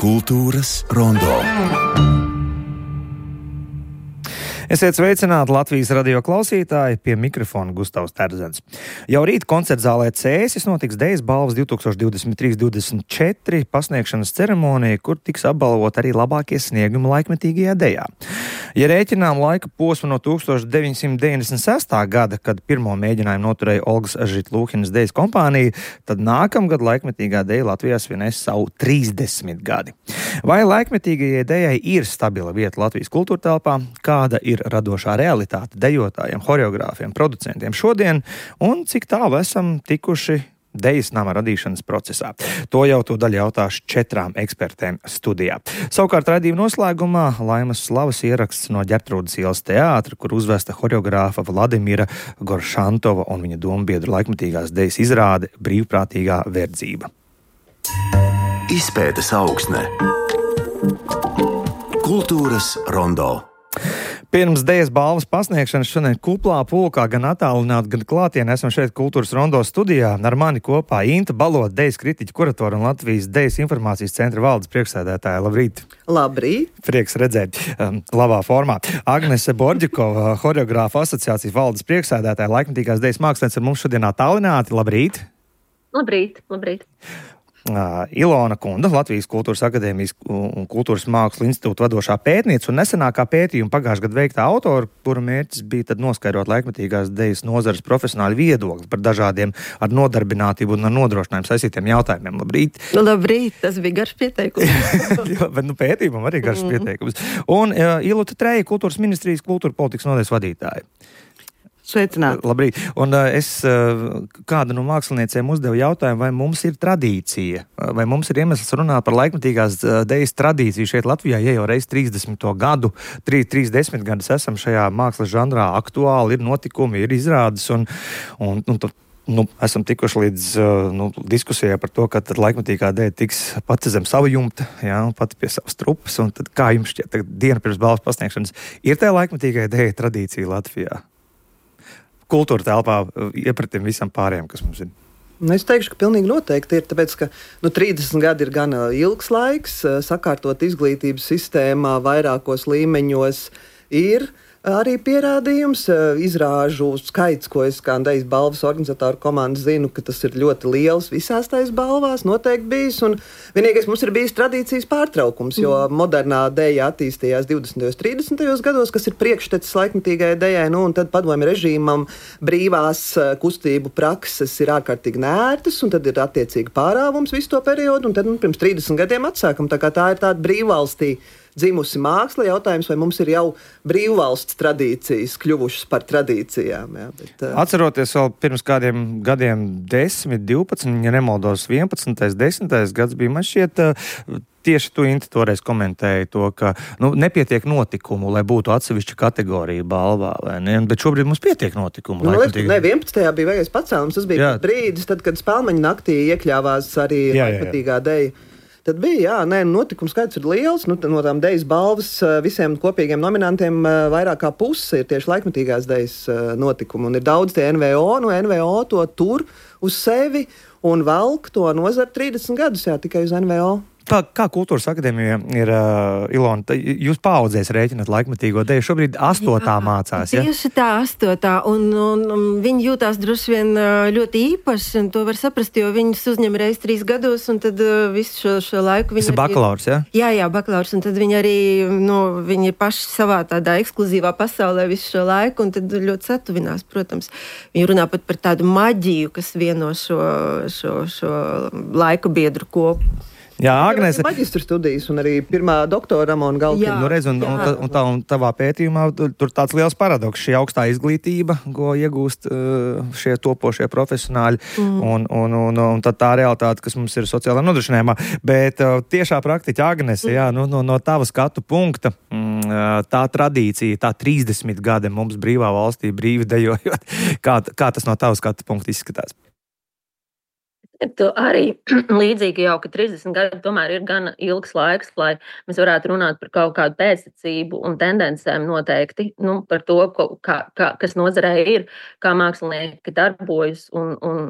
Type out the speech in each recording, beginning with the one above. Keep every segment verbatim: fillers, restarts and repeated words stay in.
Kultūras rondo. Esiet sveicināti Latvijas radio klausītāji, pie mikrofona Gustavs Terzens. Jau rīt koncertzālē Cēsis notiks Dejas balvas divtūkstoš divdesmit trīs divdesmit četri pasniegšanas ceremonija, kur tiks apbalvot arī labākie sniegumi laikmetīgajā dejā. Ja rēķinām laika posmu no tūkstoš deviņsimt deviņdesmit sestā gada, kad pirmo mēģinājumu noturēja Olgas Žitlūhinas dejas kompānija, tad nākamgad laikmetīgā deja Latvijā svinēs savu trīsdesmit gadi. Vai laikmetīgajai dejai ir stabila vieta Latvijas kultūra telpā? Kāda ir radošā realitāte dejotājiem, horeogrāfiem, producentiem šodien, un cik tālu esam tikuši dejas nama radīšanas procesā? To jau tūdaļ jautāšu četrām ekspertēm studijā. Savukārt raidījuma noslēgumā Laimas Slavas ieraksts no Ģertrūdes ielas teātra, kur uzvesta horeogrāfa Vladimira Goršantova un viņa dombiedru laikmetīgās dejas izrāde Brīvprātīgā verdzība. Izpētes augsne. Kultūras rondo. Pirms dejas balvas pasniegšanas šodien kuplā pulkā gan attālināti, gan klātienē esam šeit Kultūras rondo studijā. Ar mani kopā Inta Balota, dejas kritiķa kuratora un Latvijas dejas informācijas centra valdes priekšsēdētāja. Labrīt! Labrīt! Prieks redzēt um, labā formā. Agnese Borģikova, horeogrāfa asociācijas valdes priekšsēdētāja, laikmetīgās dejas mākslinieca ar mums šodien attālināti. Labrīt! Labrīt, labrīt! Uh, Ilona Kunda, Latvijas Kultūras akadēmijas un Kultūras mākslu institūta vadošā pētniece un nesenākā pētījuma pagājušajā gadā veiktā autora, kura mērķis bija tad noskaidrot laikmetīgās dejas nozares profesionāļu viedokli par dažādiem ar nodarbinātību un ar nodrošinājumu saistītiem jautājumiem. Labrīt! Labrīt, tas bija garš pieteikums. Jā, bet nu, pētījumam arī garš pieteikums. Un uh, Iluta Treja, Kultūras ministrijas kultūra politikas nodaļas vadītāja. Sveicināti. Labrīt. Un uh, es uh, kādu no māksliniecēm uzdevu jautājumu, vai mums ir tradīcija, vai mums ir iemesls runāt par laikmetīgās uh, dejas tradīciju šeit Latvijā, ja jau reiz trīsdesmito gadu, trīsdesmit gadus esam šajā mākslas žanrā aktuāli, ir notikumi, ir izrādes, un, un, un tu, nu, esam tikuši līdz uh, nu, diskusijai par to, ka tad laikmetīgā deja tiks pati zem savu jumta, jā, pati pie savas trupas, un tad kā jums šķiet, tagad diena pirms balvas pasniegšanas, ir tā laikmetīgā deja tradīcija Latvijā? Kultūra telpā iepratim visam pārējiem, kas mums ir? Es teikšu, ka pilnīgi noteikti ir, tāpēc, ka nu, trīsdesmit gadi ir gan ilgs laiks, sakārtot izglītības sistēmā vairākos līmeņos ir arī pierādījums, izrāžu skaits, ko es kā dejas balvas organizatoru komandu zinu, ka tas ir ļoti liels visās tais balvās, noteikti bijis, un vienīgais mums ir bijis tradīcijas pārtraukums, jo mm. modernā deja attīstījās divdesmitajos, trīsdesmitajos gados, kas ir priekštecis laikmetīgajai dejai, nu, un tad padomju režīmam brīvās kustību prakses ir ārkārtīgi nērtas, un tad ir attiecīgi pārāvums visu to periodu, un tad nu, pirms trīsdesmit gadiem atsākam, tā kā tā ir tāda brīvvalstī dzimusi māksla, jautājums, vai mums ir jau brīvvalsts tradīcijas kļuvušas par tradīcijām. Jā, bet, uh... Atceroties vēl pirms kādiem gadiem desmit, divpadsmit, ja nemaldos vienpadsmitais, desmitais gads bija, man šķiet, uh, tieši tu, Inta, toreiz komentēji to, ka nu, nepietiek notikumu, lai būtu atsevišķa kategorija balvā, vai ne? Bet šobrīd mums pietiek notikumu. Nu, laikmetīga... Ne, vienpadsmitajā bija vajag pacēlums, tas bija jā. brīdis, tad, kad Spēlmeņa naktī iekļāvās arī laikmetīgā deja. Tad bija, jā, nē, notikums skaits ir liels, nu, no tām dejas balvas visiem kopīgiem nominantiem vairāk kā puse ir tieši laikmetīgās dejas notikumi, un ir daudz tie N V O, nu N V O to tur uz sevi un velk to nozara trīsdesmit gadus, jā, tikai uz N V O. Kā, kā Kultūras akadēmija ir, uh, Ilona, jūs paaudzēs rēķināt laikmetīgo deju, šobrīd astotā jā, mācās, ja? Tieši tā, astotā, un, un, un viņi jūtās droši vien ļoti īpaši, un to var saprast, jo viņus uzņem reiz trīs gados, un tad uh, visu šo, šo laiku viņi... Tas ir bakalaurs, ja? Jā, jā, bakalaurs, un tad viņi arī, nu, viņi ir paši savā tādā ekskluzīvā pasaulē visu šo laiku, un tad ļoti satuvinās, protams. Viņi runā pat par tādu maģiju, kas vieno šo, šo, šo laiku biedru kopu. Jā, Agnese. Maģistra studijas un arī pirmā doktora Ramona Galkina. Nu, redz, un, un, un, tā, un tavā pētījumā tur tāds liels paradoks, šī augstā izglītība, ko iegūst šie topošie profesionāļi, mm. un, un, un, un tad tā realitāte, kas mums ir sociālā nodrošinājumā. Bet tiešā praktiķa Agnese, jā, nu, no, no tava skatu punkta, tā tradīcija, tā trīsdesmit gadi mums brīvā valstī, brīvi dejojot, kā, kā tas no tava skatu punkta izskatās? Tu arī līdzīgi jau, ka trīsdesmit gadi tomēr ir gan ilgs laiks, lai mēs varētu runāt par kaut kādu pēctecību un tendencēm noteikti, nu, par to, kā, kā, kas nozarē ir, kā mākslinieki darbojas un, un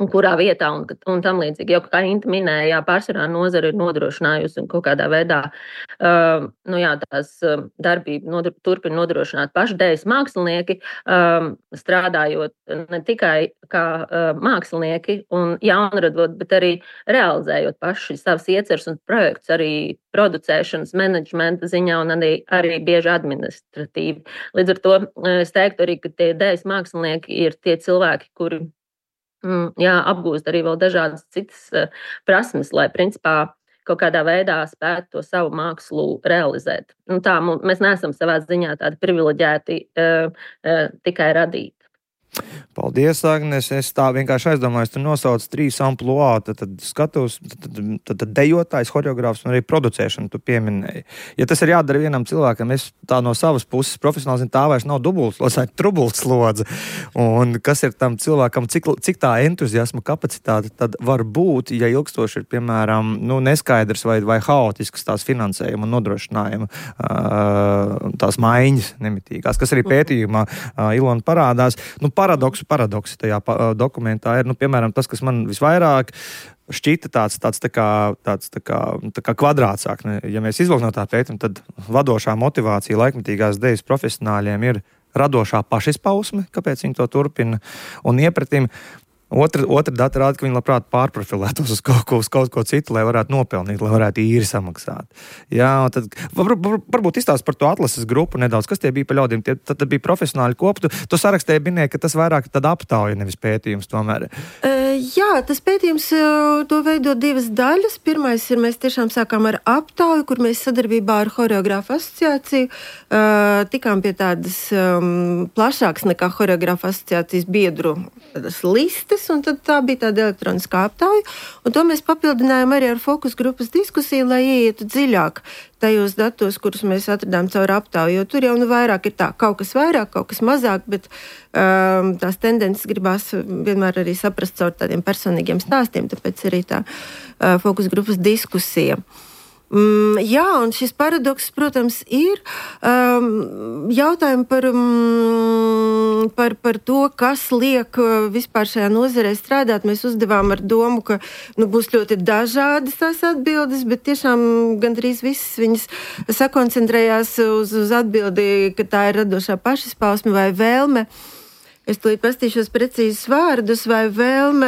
kurā vietā un, un tam līdzīgi. Jo, kā Inta minēja, jā, pārsvarā nozara ir nodrošinājusi un kaut kādā veidā uh, nu jā, tās uh, darbību nodru, turpina nodrošināt paši dēļas mākslinieki, um, strādājot ne tikai kā uh, mākslinieki un jaunradot, bet arī realizējot paši savas ieceres un projekts arī producēšanas, menedžmenta ziņā un arī, arī bieži administratīvi. Līdz ar to es teiktu arī, ka tie dēļas mākslinieki ir tie cilvēki, kuri Mm, jā, apgūst arī vēl dažādas citas uh, prasmes, lai principā kaut kādā veidā spētu to savu mākslu realizēt. Nu, tā, mēs neesam savā ziņā tādi privileģēti uh, uh, tikai radīt. Paldies, Agnes. Es tā vienkārši aizdomājos, tu nosauc trīs ampluā, tad, tad skatos, tad, tad, tad, tad dejotājs, horeogrāfs un arī producēšanu tu pieminēji. Ja tas ir jādara vienam cilvēkam, es tā no savas puses profesionāli zinu, tā vairs nav dubultslodze, tā ir trubultslodze. Un kas ir tam cilvēkam, cik, cik tā entuziasma kapacitāte tad var būt, ja ilgstoši ir, piemēram, nu, neskaidrs vai, vai haotisks tās finansējuma un nodrošinājuma tās maiņas nemitīgās, kas arī pētījumā Ilona parādās. Nu, paradoksu paradoksi tajā dokumentā ir, nu, piemēram, tas, kas man visvairāk šķita tāds, tāds, tā kā, tāds tā kā, tā kā kvadrātsāk. Ja mēs izvilkam no tā pētījuma, tad vadošā motivācija laikmetīgās dejas profesionāļiem ir radošā pašizpausme, kāpēc viņi to turpina, un iepratim. Otra, otra data rāda, ka viņi labprāt pārprofilētos uz kaut ko, uz kaut ko citu, lai varētu nopelnīt, lai varētu īri samaksāt. Jā, tad var, var, varbūt izstāst par to atlases grupu nedaudz, kas tie bija pa ļaudīm. Tie, tad, tad bija profesionāļi kopu. Tu, tu sarakstēji minēji, ka tas vairāk tad aptauja, nevis pētījums tomēr. Uh, jā, tas pētījums uh, to veido divas daļas. Pirmais ir, mēs tiešām sākām ar aptauju, kur mēs sadarbībā ar Horeogrāfu asociāciju uh, tikām pie tādas um, plašākas nekā Horeogrāfu asociācijas biedru listes. Un tad tā bija tāda elektroniskā aptauja, un to mēs papildinājām arī ar fokus grupas diskusiju, lai ieietu dziļāk tajos datos, kurus mēs atradām caur aptauju, jo tur jau nu vairāk ir tā, kaut kas vairāk, kaut kas mazāk, bet um, tās tendences gribās vienmēr arī saprast caur tādiem personīgiem stāstiem, tāpēc arī tā uh, fokus grupas diskusija. Mm, jā, un šis paradoks, protams, ir um, jautājumi par, um, par, par to, kas liek vispār šajā nozarē strādāt. Mēs uzdevām ar domu, ka nu, būs ļoti dažādas tās atbildes, bet tiešām gandrīz visas viņas sakoncentrējās uz, uz atbildi, ka tā ir radošā pašizpausme vai vēlme. Es tūlīt pastīšos precīzus vārdus, vai vēlme,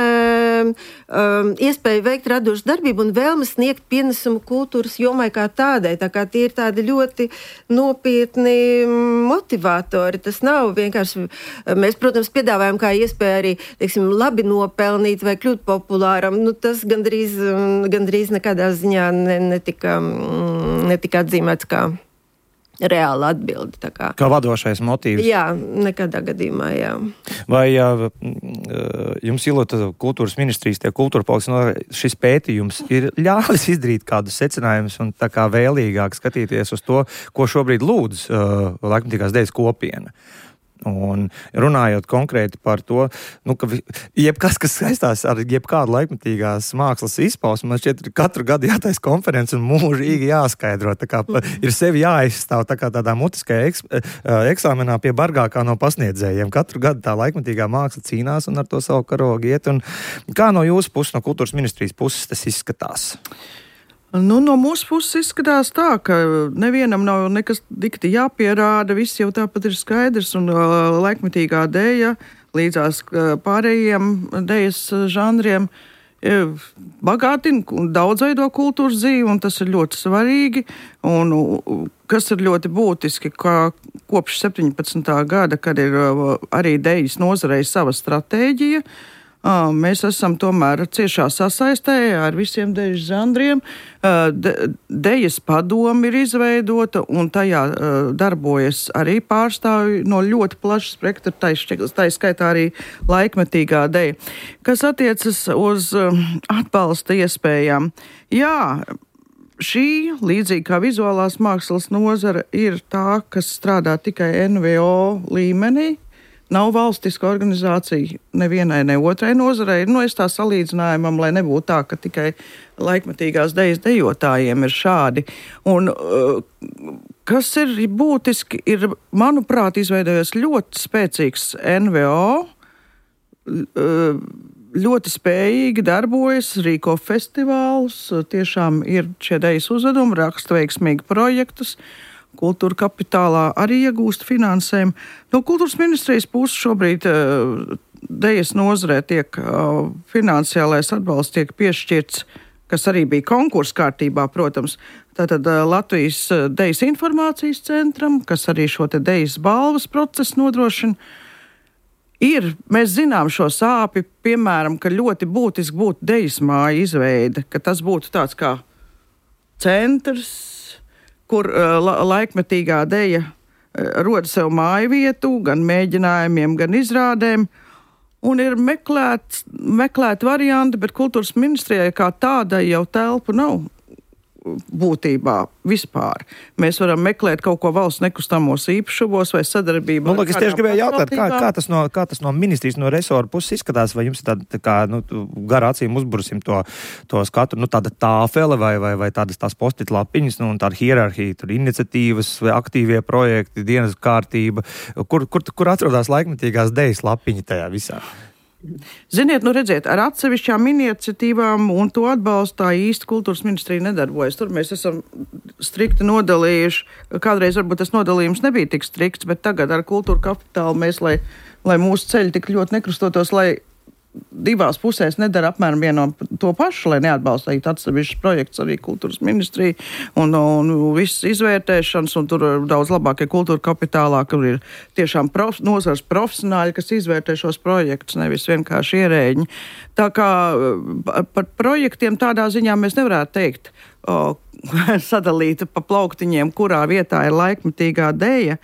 um, iespēja veikt radošu darbību un vēlme sniegt pienesumu kultūras jomai kā tādai. Tā kā tie ir tādi ļoti nopietni motivatori. Tas nav vienkārši, mēs, protams, piedāvājam kā iespēju arī, teiksim, labi nopelnīt vai kļūt populāram. Nu, tas gandrīz, gandrīz nekādā ziņā netika, netika atzīmēts kā reāla atbilde. Tā kā. Kā vadošais motīvs. Jā, nekādā gadījumā, jā. Vai jā, jums, Ilota, kultūras ministrijas, tie kultūra politikas, šis pētījums ir ļāvis izdarīt kādus secinājumus un tā kā vēlīgāk skatīties uz to, ko šobrīd lūdz uh, laikmetīgās dejas kopiena? Un runājot konkrēti par to, nu, ka jebkas, kas saistās ar jebkādu laikmetīgās mākslas izpausmu, man šķiet, katru gadu jātais konferences un mūžīgi jāskaidro. Tā kā ir sevi jāizstāv tā kā tādā mutiskajā eks, eksāmenā pie bargākā no pasniedzējiem. Katru gadu tā laikmetīgā māksla cīnās un ar to savu karogu iet. Un kā no jūsu puses, no kultūras ministrijas puses tas izskatās? Nu, no mūsu puses izskatās tā, ka nevienam nav nekas dikti jāpierāda, viss jau tāpat ir skaidrs, un uh, laikmetīgā deja līdzās uh, pārējiem dejas žanriem uh, bagātina un daudzveido kultūras dzīvi, un tas ir ļoti svarīgi, un uh, kas ir ļoti būtiski, ka kopš septiņpadsmitā gada, kad ir uh, arī dejas nozarei sava stratēģija, mēs esam tomēr ciešā sasaistē ar visiem dejas žanriem. De, dejas padomi ir izveidota un tajā darbojas arī pārstāvji no ļoti plaša spektra, tā skaitā arī laikmetīgā deja. Kas attiecas uz atbalsta iespējām? Jā, šī, līdzīgi kā vizuālās mākslas nozara, ir tā, kas strādā tikai N V O līmenī. Nav valstiska organizācija nevienai, ne otrai nozarei. Nu, es tā salīdzinājumam, lai nebūtu tā, ka tikai laikmetīgās dejas dejotājiem ir šādi. Un kas ir būtiski, ir, manuprāt, izveidojies ļoti spēcīgs N V O ļoti spējīgi darbojas, rīko festivālus, tiešām ir šie dejas uzvedumi, raksta veiksmīgi projektus. Kultūra kapitālā arī iegūst finansējumu. No kultūras ministrijas puses šobrīd uh, dejas nozarē tiek uh, finansiālais atbalsts tiek piešķirts, kas arī bija konkursa kārtībā, protams. Tātad uh, Latvijas dejas informācijas centram, kas arī šo te dejas balvas procesu nodrošina. Ir, mēs zinām šo sāpi, piemēram, ka ļoti būtiski būtu dejas māja izveide, ka tas būtu tāds kā centrs, kur uh, laikmetīgā deja uh, roda sev māju vietu, gan mēģinājumiem, gan izrādēm, un ir meklēt, meklēt varianti, bet kultūras ministrijai kā tādai jau telpu nav būtībā vispār. Mēs varam meklēt kaut ko valsts nekustamos īpašumos vai sadarbību. Nu, lūk, es tieši gribēju jautāt, kā, kā, tas no, kā tas no ministrijas, no resora puses izskatās, vai jums ir tāda, tā kā, nu, gar acīm uzbrusim to, to skatu, nu, tāda tāfele vai, vai, vai tādas tās postit lapiņas, nu, un tāda hierarhija, tur iniciatīvas vai aktīvie projekti, dienas kārtība, kur, kur, kur atrodas laikmetīgās dejas lapiņa tajā visā? Ziniet, nu redziet, ar atsevišķām iniciatīvām un to atbalstā īsti kultūras ministrija nedarbojas. Tur mēs esam strikti nodalījuši. Kādreiz varbūt tas nodalījums nebija tik strikts, bet tagad ar kultūra kapitālu mēs, lai, lai mūsu ceļi tik ļoti nekrustotos, lai divās pusēs nedara apmēram vieno to pašu, lai neatbalstītu atsevišķus projekts arī kultūras ministrija un, un viss izvērtēšanas, un tur daudz labākie kultūra kapitālā, kur ir tiešām prof, nozars profesionāļi, kas izvērtē šos projektus, nevis vienkārši ierēģi. Tā kā par projektiem tādā ziņā mēs nevarētu teikt, o, sadalīta pa plauktiņiem, kurā vietā ir laikmetīgā deja.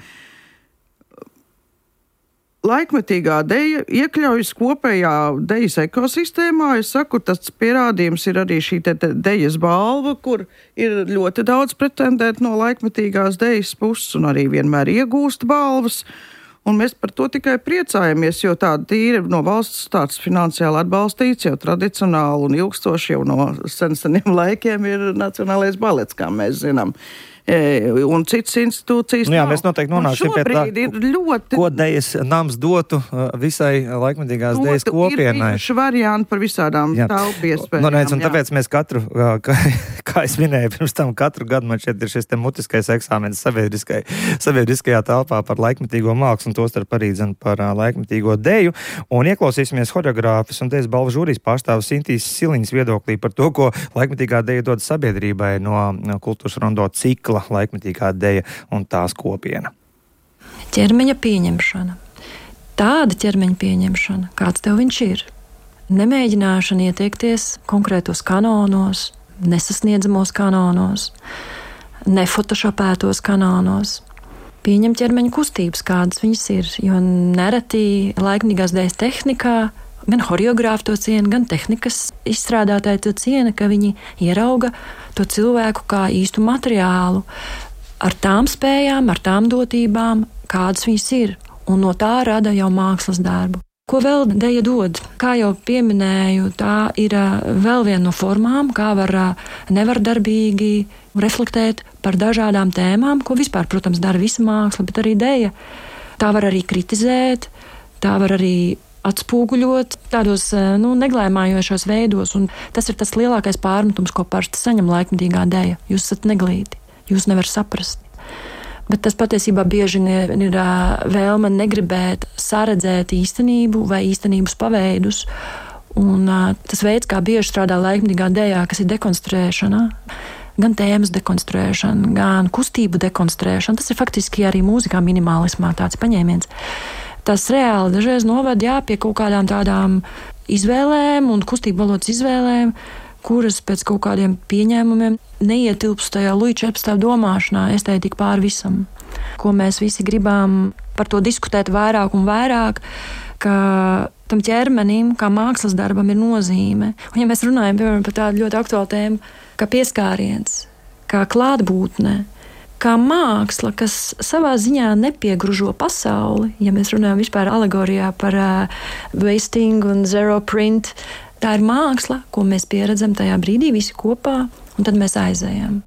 Laikmetīgā deja iekļaujas kopējā dejas ekosistēmā. Es saku, tas pierādījums ir arī šī te, te dejas balva, kur ir ļoti daudz pretendēt no laikmetīgās dejas puses un arī vienmēr iegūst balvas. Un mēs par to tikai priecājamies, jo tāda tīra no valsts tāds finansiāli atbalstīts jau tradicionāli un ilgstoši jau no sen seniem laikiem ir Nacionālais balets, kā mēs zinām. Un citas institūcijas. Nu jā, mēs noteikti nonāksim pie tā, ļoti... ko dejas nams dotu visai laikmetīgās dejas kopienai. Ir bijuši varianti par visādām telpu iespējām. Nu, nec, un tāpēc mēs katru, kā, kā es minēju, pirms tam katru gadu man šeit ir šis te mutiskais eksāmenis sabiedriskai, sabiedriskajā telpā par laikmetīgo mākslu, un tostarp arī dzen par laikmetīgo deju. Un ieklausīsimies horeogrāfis un dejas balvu žūrijas pārstāvis Intīs Siliņas viedoklī par to, ko laikmetīgā deja dod sabiedrībai no kultūras rondo cikla laikmetīgā deja un tās kopiena. Ķermeņa pieņemšana. Tāda ķermeņa pieņemšana, kāds tev viņš ir. Nemēģināšana ieteikties konkrētos kanonos, nesasniedzamos kanonos, nefotošopētos kanonos. Pieņem ķermeņa kustības, kādas viņas ir, jo nereti laikmetīgās dejas tehnikā gan horeogrāfi to ciena, gan tehnikas izstrādātāji to ciena, ka viņi ierauga to cilvēku kā īstu materiālu ar tām spējām, ar tām dotībām, kādas viņas ir, un no tā rada jau mākslas darbu. Ko vēl deja dod? Kā jau pieminēju, tā ir vēl viena no formām, kā var nevardarbīgi reflektēt par dažādām tēmām, ko vispār, protams, dara visa māksla, bet arī deja. Tā var arī kritizēt, tā var arī atspūguļot tādos nu, neglēmājošos veidos, un tas ir tas lielākais pārmetums, ko parasti saņem laikmetīgā deja. Jūs esat neglīti, jūs nevar saprast. Bet tas patiesībā bieži ir, ir vēlme negribēt saredzēt īstenību vai īstenības paveidus, un tas veids, kā bieži strādā laikmetīgā dejā, kas ir dekonstruēšana, gan tēmas dekonstruēšana, gan kustību dekonstruēšana, tas ir faktiski arī mūzikā minimālismā tāds paņēmiens. Tas reāli dažreiz noved jā, pie kaut kādām tādām izvēlēm un kustību valodas izvēlēm, kuras pēc kaut kādiem pieņēmumiem neietilpst tajā Luja četrpadsmitā domāšanā, estētika pār visam. Ko mēs visi gribam par to diskutēt vairāk un vairāk, ka tam ķermenim, kā mākslas darbam, ir nozīme. Un ja mēs runājam, piemēram, par tādu ļoti aktuālu tēmu, kā pieskāriens, kā klātbūtne, kā māksla, kas savā ziņā nepiegružo pasauli, ja mēs runājam vispār alegorijā par uh, wasting un zero print, tā ir māksla, ko mēs pieredzam tajā brīdī visi kopā, un tad mēs aizējam.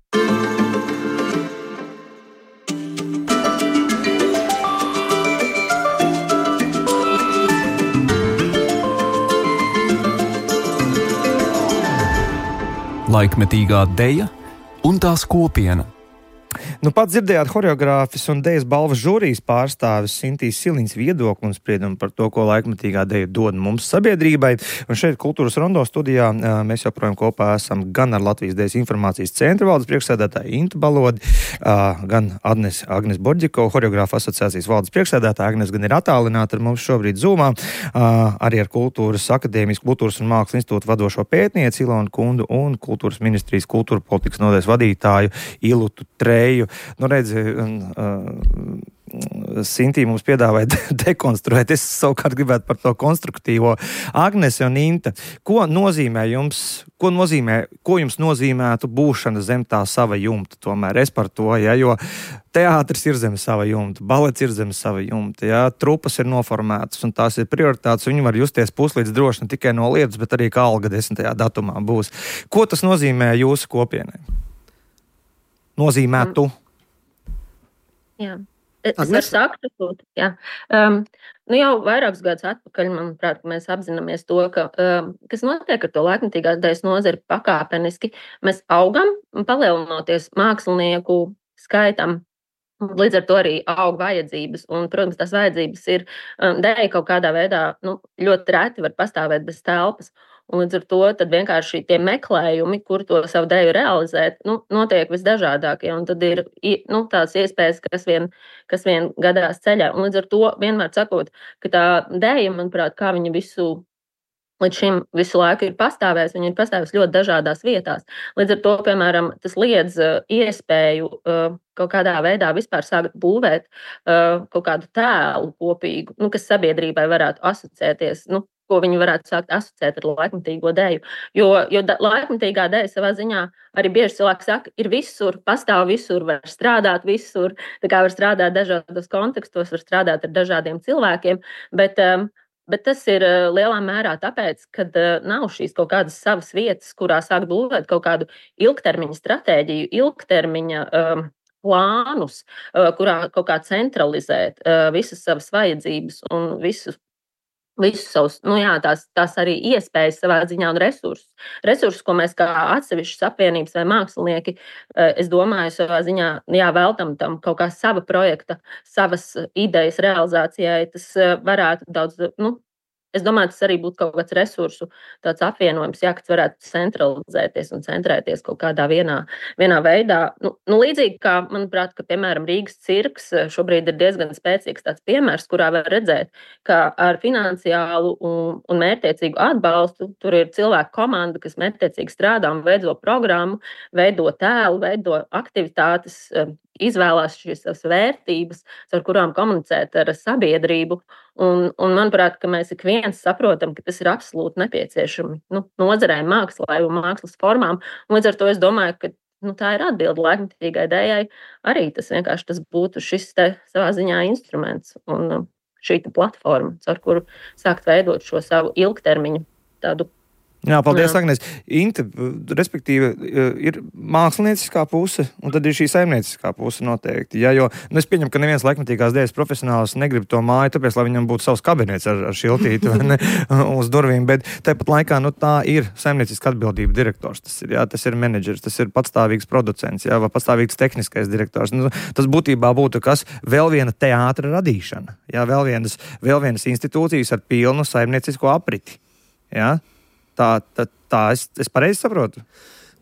laikmetīgā deja un tās kopiena. Nu, pat dzirdējāt horeogrāfis un dejas balvas žūrijas pārstāvis Sintīs Siliņas viedokli un spriedumu par to, ko laikmetīgā deja dod mums sabiedrībai. Un šeit Kultūras rondo studijā mēs joprojām kopā esam gan ar Latvijas Dejas informācijas centra valdes priekšsēdētāju Intu Balodi, gan Agnes, Agnes Borģiko, horeogrāfa asociācijas valdes priekšsēdētāja. Agnes gan ir attālināta ar mums šobrīd Zoomā, arī ar Kultūras akadēmijas, Kultūras un mākslas institūta vadošo pētnieci Ilonu Kundu un Kultūras ministrijas kultūra politikas nodaļas vadītāju Ilutu Treju. Nu, redzi, uh, Sintī mums piedāvāja dekonstruēt. Es savukārt gribētu par to konstruktīvo. Agnese un Inta, ko nozīmē jums, ko nozīmē, ko jums nozīmētu būšana zem tā sava jumta? Tomēr es par to, ja, jo teātris ir zem sava jumta, balets ir zem sava jumta, ja, trupas ir noformētas un tās ir prioritātes, viņi var justies puslīdz droši ne tikai no lietas, bet arī kā alga desmitajā datumā būs. Ko tas nozīmē jūsu kopienai? Nozīmētu? Jā. Es varu sākt, jā. Um, nu jau vairākus gadus atpakaļ, manuprāt, mēs apzināmies to, ka, um, kas notiek ar to laikmetīgās dejas nozari pakāpeniski. Mēs augam, palielinoties mākslinieku skaitam, līdz ar to arī aug vajadzības. Un, protams, tās vajadzības ir, um, deja kaut kādā veidā, nu, ļoti reti var pastāvēt bez telpas. Un līdz ar to tad vienkārši tie meklējumi, kur to savu deju realizēt, nu, notiek visdažādākie. Un tad ir nu, tās iespējas, kas vien, kas vien gadās ceļā. Un līdz ar to vienmēr sakot, ka tā deja, manuprāt, kā viņa visu līdz šim visu laiku ir pastāvējusi, viņa ir pastāvējusi ļoti dažādās vietās. Līdz ar to, piemēram, tas liedz uh, iespēju uh, kaut kādā veidā vispār sākt būvēt uh, kaut kādu tēlu kopīgu, nu, kas sabiedrībai varētu asociēties, nu, ko viņi varētu sākt asociēt ar laikmetīgo deju. Jo, jo da, laikmetīgā deja savā ziņā arī bieži cilvēki saka, ir visur, pastāv visur, var strādāt visur, tā kā var strādāt dažādos kontekstos, var strādāt ar dažādiem cilvēkiem, bet, um, bet tas ir uh, lielā mērā tāpēc, ka uh, nav šīs kaut kādas savas vietas, kurā sākt būvēt kaut kādu ilgtermiņa stratēģiju, ilgtermiņa um, plānus, uh, kurā kaut kā centralizēt uh, visas savas vajadzības un visus Visus savus, nu jā, tās, tās arī iespējas savā ziņā un resursus. Resursus, ko mēs kā atsevišķas apvienības vai mākslinieki, es domāju, savā ziņā, jā, veltam tam kaut kā sava projekta, savas idejas realizācijai, tas varētu daudz, nu, es domāju, tas arī būtu kaut kāds resursu tāds apvienojums, jā, kas varētu centralizēties un centrēties kaut kādā vienā, vienā veidā. Nu, nu, līdzīgi kā, manuprāt, ka, piemēram, Rīgas cirks šobrīd ir diezgan spēcīgs tāds piemērs, kurā var redzēt, ka ar finansiālu un, un mērķtiecīgu atbalstu tur ir cilvēku komanda, kas mērķtiecīgi strādā un veido programmu, veido tēlu, veido aktivitātes, izvēlās šīs savas vērtības, ar kurām komunicēt ar sabiedrību. Un, un manuprāt, ka mēs ik viens saprotam, ka tas ir absolūti nepieciešami nu, nozarei, mākslai un mākslas formām. Un līdz ar to es domāju, ka nu, tā ir atbilde laikmetīgai dejai. Arī tas vienkārši tas būtu šis te savā ziņā instruments un šī platforma, ar kuru sākt veidot šo savu ilgtermiņu tādu. Jā, paldies, Agnes. Inta, respektīvi, ir mākslinieckā puse, un tad ir šī saimnieciskā puse noteikti. Ja, jo, nu, es pieņemu, ka neviens laikmetīgās dejas profesionāls negrib to māju, tāpēc, lai viņam būtu savs kabinets ar, ar šiltīti vai ne, uz durvīm, bet tāpat laikā, nu, tā ir saimnieciska atbildība direktors. Tas ir, jā, tas ir menedžers, tas ir patstāvīgs producents, jā, vai patstāvīgs tehniskais direktors. Nu, tas būtībā būtu kas vēl viena teātra radīšana, jā, vēl vienas, vēl vienas institūcijas ar pilnu saimniecisko apriti, jā. Tā, tā, tā es, es pareizi saprotu.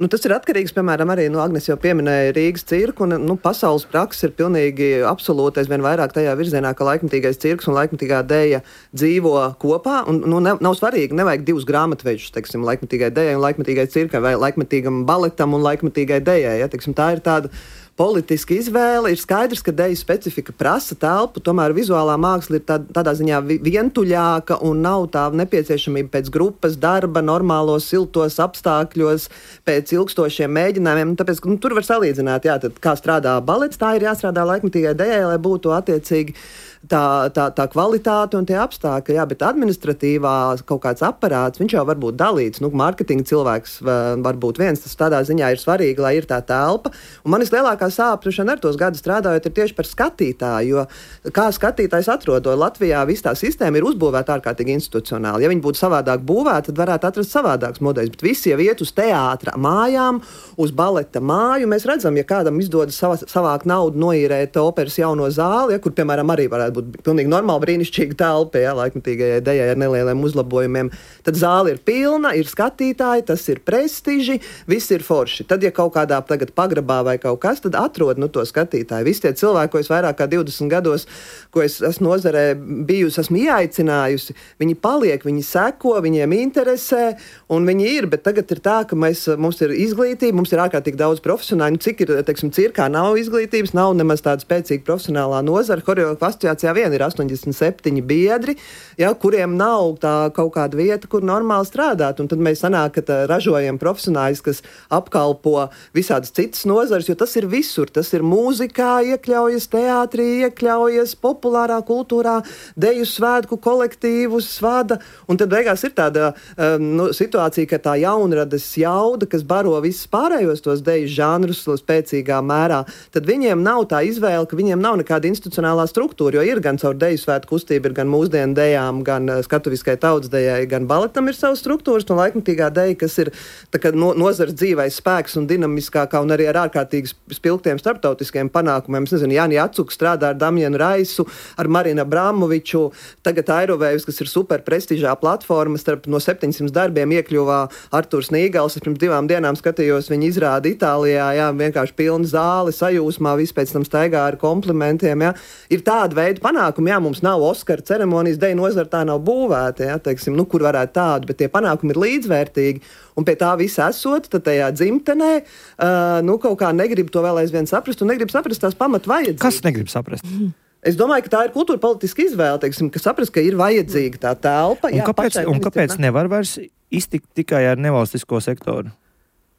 Nu, tas ir atkarīgs, piemēram, arī, nu, Agnes jau pieminēja Rīgas cirku, un, nu, pasaules prakses ir pilnīgi absolūtais vien vairāk tajā virzienā, ka laikmetīgais cirks un laikmetīgā deja dzīvo kopā, un, nu, ne, nav svarīgi, nevajag divus grāmatvežus, teiksim, laikmetīgai dejai un laikmetīgai cirkai, vai laikmetīgam baletam un laikmetīgai dejai, ja, teiksim, tā ir tāda politiska izvēle. Ir skaidrs, ka deju specifika prasa telpu, tomēr vizuālā māksla ir tā, tādā ziņā vientuļāka un nav tā nepieciešamība pēc grupas darba, normālos, siltos apstākļos, pēc ilgstošiem mēģinājumiem. Tāpēc, nu, tur var salīdzināt, jā, tad kā strādā balets, tā ir jāstrādā laikmetīgai dejai, lai būtu attiecīgi tā, tā, tā kvalitāte un tie apstākļi, jā, bet administratīvā kaut kāds aparāts, viņš jau var būt dalīts. Nu, mārketinga cilvēks var būt viens, tas tādā ziņā ir svarīgi, lai ir tā telpa. Un manis lielākā sāpšana ar tos gadus strādājot ir tieši par skatītāju, jo kā skatītājs atrodo Latvijā, viss tā sistēma ir uzbūvēta ārkārtīgi institucionāli. Ja viņi būtu savādāk būvēti, tad varētu atrast savādāks modeļs, bet visi jau iet uz teātra mājām, uz baleta māju. Mēs redzam, ja kādam izdodas savā, savāk naudu noīrēt operas jauno zāli, ja, kur, piemēram, arī varētu būt pilnīgi normāli brīnišķīga telpa, ja, laikmatīgajai dejai ar nelieliem uzlabojumiem, tad zāle ir pilna, ir skatītāji, tas ir prestiži, viss ir forši. Tad, ja kaut kādā tagad pagrabā vai kaut kas, tad atrod nu, to skatītāju. Visi tie cilvēki, ko es vairāk kā divdesmit gados, ko es esmu nozarē bijusi, esmu ieaicinājusi, viņi paliek, viņi seko, viņiem interesē, un viņi ir, bet tagad ir tā, ka mēs, mums ir izglītība, mums ir ārkārtīgi daudz profesionāļu. Nu, cik ir, teiksim, cirkā nav izglītības, nav nemaz tāda spēcīga profesionālā nozara. Horeogrāfu asociācijā vien ir astoņdesmit septiņi biedri, ja, kuriem nav tā kaut kāda vieta, kur normāli strādāt. Un tad mēs sanāk, ka tā, ražojam profesionāļus, kas apkalpo visādas citas nozares, jo tas ir visur. Tas ir mūzikā, iekļaujas teātrī, iekļaujas populārā kultūrā, deju svētku kolektīvus vada. Un tad beigās ir tāda um, nu, situācija, ka tā jaunradas jauda, kas baro visus pārējos tos deju žanrus spēcīgā mērā, tad viņiem nav tā izvēle, ka viņiem nav nekāda institucionālā struktūra, jo ir gan caur deju svētku kustību, ir gan mūsdienu dejām, gan skatuviskai tautsdejai, gan baletam ir savas struktūras, un laikmatīgā deja, kas ir tā kā no, nozars dzīvais spēks un dinamiskākā, un arī ar ārkārtīgi spilgtiem starptautiskiem panākumiem. Es nezinu, Jāni Atsuks strādā ar Damjanu Raisu, ar Marinu Abramoviču, tagad Airovējus, kas ir super prestižā platforma, starp no septiņsimt darbiem iekļuvā Arturs Nīgals. Es pirms divām dienām skatījos viņa izrādi Itālijā, jā, vienkārši pilna zāle, sajūsmā, viss pēc tam staigā ar komplimentiem, jā. Ir tāda veida panākumi, jā, mums nav Oskara ceremonijas, deju nozara tā nav būvēta, jā, teiksim, nu, kur varētu tādu, bet tie panākumi ir līdzvērtīgi, un pie tā visa esot, tad tajā dzimtenē, uh, nu, kaut kā negrib to vēl aizvien saprast, un negrib saprast tās pamat vajadzības. Kas negrib saprast? Mm. Es domāju, ka tā ir kultūra politiska izvēle, teiksim, ka saprast, ka ir vajadzīga tā telpa. Un jā, kāpēc, un kāpēc nevar vairs iztikt tikai ar nevalstisko sektoru?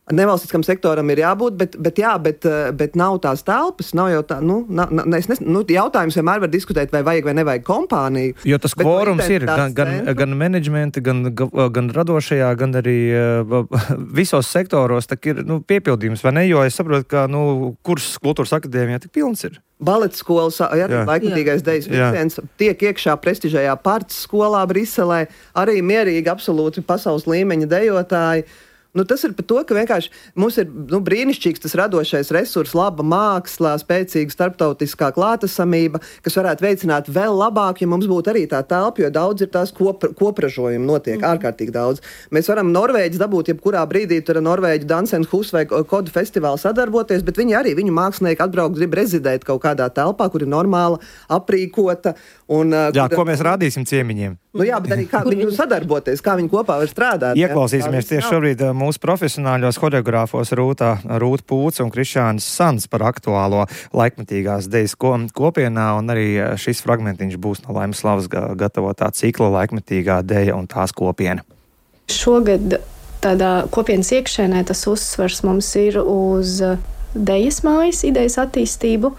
Nevalstiskam sektoram ir jābūt, bet, bet, jā, bet, bet nav tās telpas. Nav jau tā, nu, na, na, es nes, nu, jautājums vienmēr var diskutēt, vai vajag vai nevajag kompāniju. Jo tas kvorums ir gan, gan, gan menedžmenta, gan, gan radošajā, gan arī uh, visos sektoros ir nu, piepildījums, vai ne? Jo es saprotu, ka nu, kurs kultūras akadēmijā tik pilns ir. Baleta skolas, ja, laikmatīgais dejas vilciens tiek iekšā prestižajā Parts skolā Briselē, arī mierīgi, absolūti pasaules līmeņa dejotāji. Nu, tas ir par to, ka vienkārši mums ir nu, brīnišķīgs tas radošais resurs, laba māksla, spēcīga starptautiskā klātesamība, kas varētu veicināt vēl labāk, ja mums būtu arī tā telpa, jo daudz ir tās kopra, kopražojumi notiek, mm. ārkārtīgi daudz. Mēs varam Norvēģis dabūt jebkurā brīdī, tur ar Norvēģu Dansenhus vai Kodu festivālu sadarboties, bet viņi arī, viņu mākslinieki atbraukt, grib rezidēt kaut kādā telpā, kur ir normāla, aprīkota. Un, jā, kur, ko mēs rādīsim ciemiņiem. Nu jā, bet arī kā viņi sadarboties, kā viņi kopā var strādāt. Ieklausīsimies tieši šobrīd mūsu profesionāļos horeogrāfos Rūtā, Rūta Pūca un Krišānis Sans par aktuālo laikmatīgās dejas kopienā, un arī šis fragmentiņš būs no Laimas Slavas gatavotā cikla laikmatīgā deja un tās kopiena. Šogad tādā kopienas iekšēnē tas uzsvars mums ir uz dejas mājas idejas attīstību.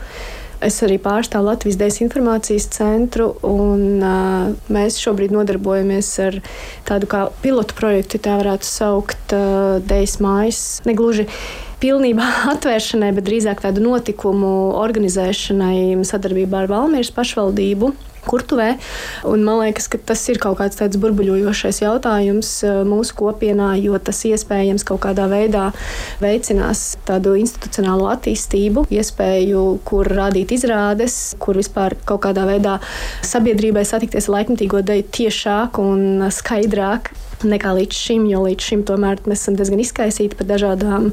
Es arī pārstāvu Latvijas Dejas informācijas centru, un uh, mēs šobrīd nodarbojamies ar tādu kā pilotu projektu, tā varētu saukt, uh, Dejas mājas. Negluži pilnībā atvēršanai, bet drīzāk tādu notikumu organizēšanai sadarbībā ar Valmieras pašvaldību Kurtuvē. Un man liekas, ka tas ir kaut kāds tāds burbuļojošais jautājums mūsu kopienā, jo tas iespējams kaut kādā veidā veicinās tādu institucionālo attīstību, iespēju, kur rādīt izrādes, kur vispār kaut kādā veidā sabiedrībai satikties ar laikmatīgo deju tiešāk un skaidrāk nekā līdz šim, jo līdz šim tomēr mēs esam diezgan izkaisīti par dažādām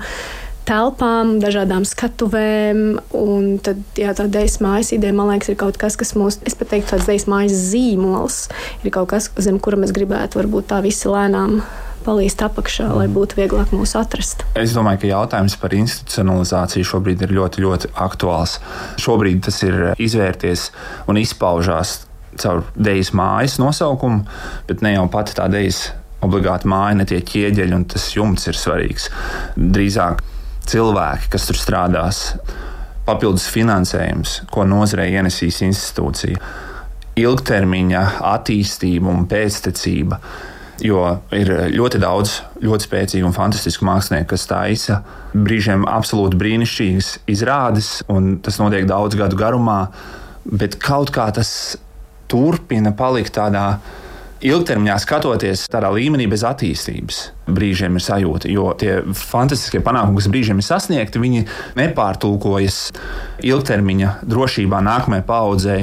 telpām, dažādām skatuvēm, un tad, jā, tā dejas mājas ideja, man liekas, ir kaut kas, kas mūs, es pat teiktu, tāds dejas mājas zīmols, ir kaut kas, zem kura mēs gribētu varbūt tā visi lēnām palīst apakšā, lai būtu vieglāk mūs atrast. Es domāju, ka jautājums par institucionalizāciju šobrīd ir ļoti, ļoti aktuāls. Šobrīd tas ir izvērties un izpaužās caur dejas mājas nosaukumu, bet ne jau pati tā dejas obligāti māja, ne tie ķieģeļi, un tas jumts ir svarīgs. Drīzāk cilvēki, kas tur strādās, papildus finansējums, ko nozarei ienesīs institūcija. ilgtermiņa attīstība un pēctecība. Jo ir ļoti daudz ļoti spēcīgu un fantastisku mākslinieku, kas taisa brīžiem absolūti brīnišķīgas izrādes, un tas notiek daudz gadu garumā, bet kaut kā tas turpina palikt tādā ilgtermiņā skatoties tādā līmenī bez attīstības. Brīžiem ir sajūta, jo tie fantastiskie panākumi, kas brīžiem ir sasniegti, viņi nepārtulkojas ilgtermiņa drošībā nākamajai paaudzei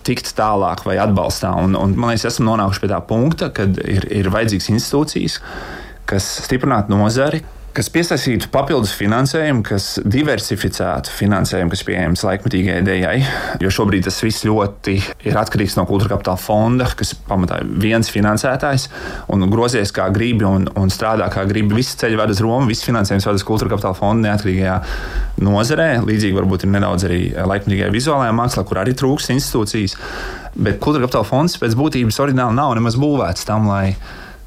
tikt tālāk vai atbalstā. Un, un, man liekas, esam nonākuši pie tā punkta, kad ir, ir vajadzīgas institūcijas, kas stiprinātu nozari, kas piesaistītu papildus finansējumu, kas diversificētu finansējumu, kas pieejams laikmetīgai dejai. Jo šobrīd tas viss ļoti ir atkarīgs no Kultūra Kapitāla fonda, kas pamatā ir viens finansētājs un grozies kā gribi un, un strādā kā gribi. Visi ceļi ved uz Romu, viss finansējums ved uz Kultūra Kapitāla fonda neatkarīgajā nozarē. Līdzīgi varbūt ir nedaudz arī laikmetīgajā vizuālajā mākslā, kur arī trūkst institūcijas. Bet Kultūra Kapitāla fonds pēc būtības oriģināli nav nemaz būvēts tam, lai,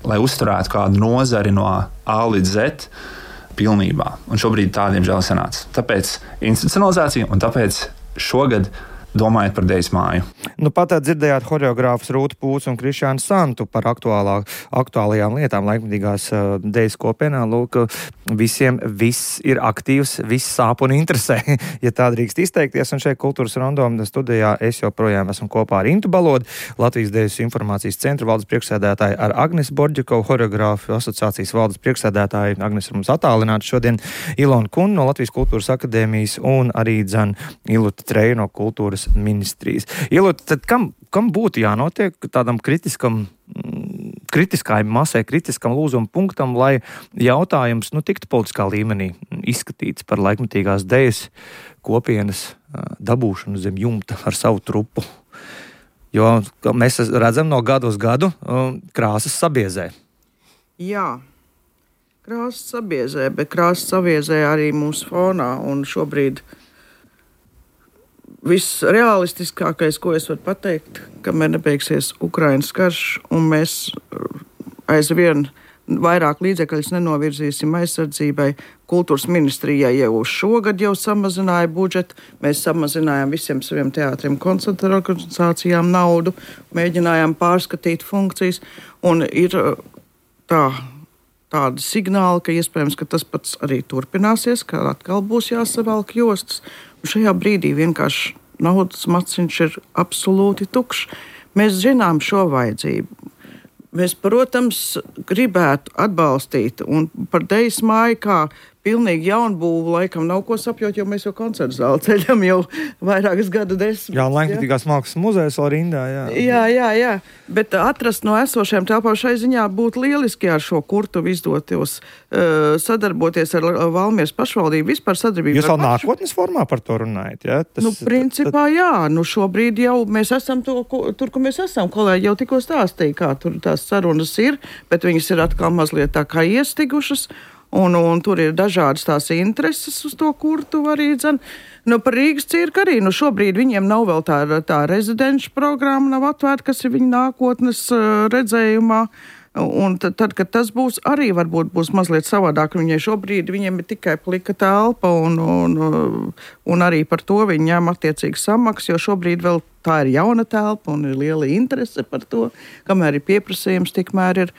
lai uzturētu kādu nozari no A līdz Z pilnībā. Un šobrīd tādiem žēl sanāca. Tāpēc institucionalizācija un tāpēc šogad domājot par Dejas māju. Nu, pat dzirdējāt horeogrāfus Rūtu Pūcu un Krišānu Santu par aktuālā, aktuālajām lietām laikmetīgās uh, Dejas kopienā. Lūk, visiem viss ir aktīvs, viss sāp un interesē, ja tā drīkst izteikties. Un šeit Kultūras Rondoma studijā es joprojām esmu kopā ar Intu Balodu, Latvijas Dejas informācijas centra valdes priekšsēdētāju, ar Agnesu Borģikovu, horeogrāfu asociācijas valdes priekšsēdētāju. Agnes ir mums attālināta šodien, Ilona Kun no Latvijas Kultūras akadēmijas un arī dzan Iluta Treja no Kultūras ministrijas. Ielūt, tad kam, kam būtu jānotiek tādam kritiskam, kritiskai masai, kritiskam lūzuma punktam, lai jautājums nu, tiktu politiskā līmenī izskatīts par laikmetīgās Dejas kopienas dabūšanu zem jumta ar savu trupu? Jo mēs redzam no gadu uz gadu krāsas sabiezē. Jā, krāsas sabiezē, bet krāsas sabiezē arī mūsu fonā, un šobrīd viss realistiskākais, ko es varu pateikt, kamēr nebeigsies Ukrainas karš, un mēs aizvien vairāk līdzekļus nenovirzīsim aizsardzībai. Kultūras ministrijai jau šogad jau samazināja budžetu, mēs samazinājām visiem saviem teātriem, koncertu organizācijām naudu, mēģinājām pārskatīt funkcijas, un ir tā, tādi signāli, ka iespējams, ka tas pats arī turpināsies, ka atkal būs jāsavelk jostas. Un šajā brīdī vienkārši naudas maciņš ir absolūti tukšs. Mēs zinām šo vajadzību. Mēs, protams, gribētu atbalstīt, un par Dejas māju kā pilnīgi jaunbūvu laikam nav ko sapjot, jo mēs jau koncertu zāli ceļam jau vairākas gadu desmitus. Jā, Laikmetīgās mākslas muzejs vēl rindā, jā. Jā, jā, jā, bet atrast no esošajām telpām šai ziņā būtu lieliski ar šo kurtuvu izdotos uh, sadarboties ar Valmieras pašvaldību, vispār sadarbību. Jūs vēl nākotnes formā par to runājat, jā? Tas, nu, principā jā, nu šobrīd jau mēs esam to, tur, kur mēs esam, kolēģi jau tikko stāstīja, kā tur tās sarunas ir, bet viņas ir atkal mazliet tā kā iestigušas. Un, un tur ir dažādas tās intereses uz to kurtu arī dzen. Nu, par Rīgas cirku arī, nu šobrīd viņiem nav vēl tā, tā rezidenču programma nav atvērta, kas ir viņa nākotnes uh, redzējumā. Un tad, tad, kad tas būs, arī varbūt būs mazliet savādāk. Viņai šobrīd viņiem ir tikai plika telpa un, un, un arī par to viņi ņem attiecīgi samaksu, jo šobrīd vēl tā ir jauna telpa un ir liela interese par to, kamēr ir pieprasījums, tikmēr ir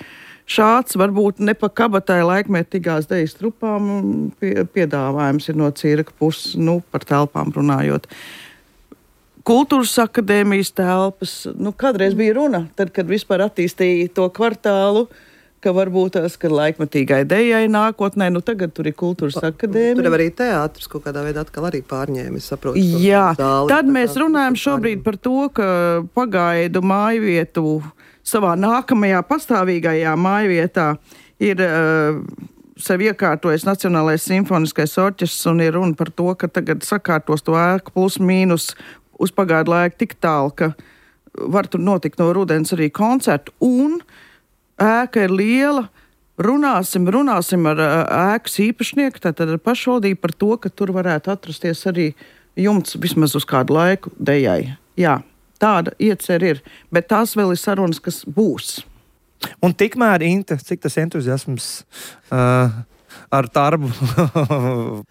šāds, varbūt ne pa kabatai laikmetīgās Dejas trupām pie, piedāvājums ir no cirka puses, nu, par telpām runājot. Kultūras akadēmijas telpas, nu, kādreiz bija runa, tad, kad vispār attīstīja to kvartālu, ka varbūt tās, ka laikmetīgai Dejai nākotnē, nu, tagad tur ir Kultūras akadēmija. Tur jau arī teātris kaut kādā veidā atkal arī pārņēma, es saprotu. Jā, zāli, tad mēs runājam šobrīd par to, ka pagaidu mājvietu savā nākamajā pastāvīgajā mājvietā ir uh, sev iekārtojis Nacionālais simfoniskais orķestris un ir runa par to, ka tagad sakārtos to ēku plus mīnus uz pagaidu laiku tik tālu, ka var tur notikt no rudens arī koncertu un ēka ir liela. Runāsim, runāsim ar uh, ēkas īpašnieku, tātad ar pašvaldību par to, ka tur varētu atrasties arī jumts vismaz uz kādu laiku Dejai. Jā. Tāda iecer ir, bet tās vēl ir sarunas, kas būs. Un tikmēr, Inta, cik tas entuziasms uh, ar tarbu